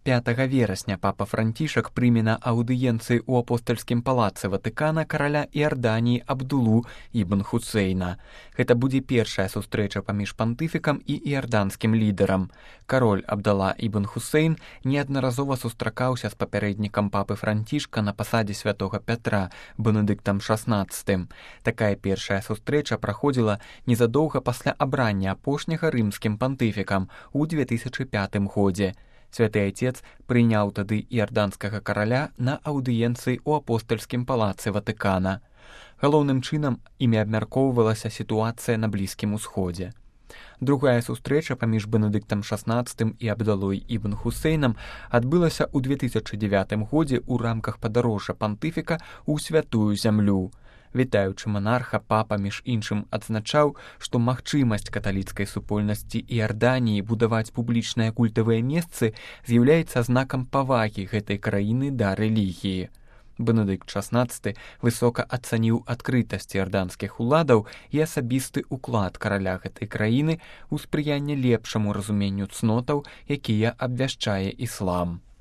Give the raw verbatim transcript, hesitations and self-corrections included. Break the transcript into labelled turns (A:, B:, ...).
A: пятага верасня папа Францішак прыме на аўдыенцыі ў апостальскім палацы Ватыкана караля Іорданіі Абдулу ібн Хусейна. Гэта будзе першая сустрэча паміж пантыфікам і іорданскім лідарам. Кароль Абдала ібн Хусейн неаднаразова сустракаўся з папярэднікам папы Францішка на пасадзе святога Пятра, Бенедыктам шаснаццатым. Такая першая сустрэча праходзіла незадоўга пасля абрання апошняга рымскім пантыфікам у две тысячы пятым годзе. Святы Айцец прыняў тады іорданскага караля на аўдыенцыі ў апостальскім палацы Ватыкана. Галоўным чынам імі абмяркоўвалася сітуацыя на Блізкім Усходзе. Другая сустрэча паміж Бенедыктам шаснаццатым і Абдалой ібн Хусейнам адбылася ў две тысячы дзявятым годзе ў рамках падарожжа пантыфіка ў святую зямлю. Вітаючы манарха, папа, між іншым, адзначаў, што магчымасць каталіцкай супольнасці Іорданіі будаваць публічныя культавыя месцы з'яўляецца знакам павагі гэтай краіны да рэлігіі. Бенедыкт шаснаццаты высока ацаніў адкрытасць іорданскіх уладаў і асабісты ўклад караля гэтай краіны ў спрыянне лепшаму разуменню цнотаў, якія абвяшчае іслам.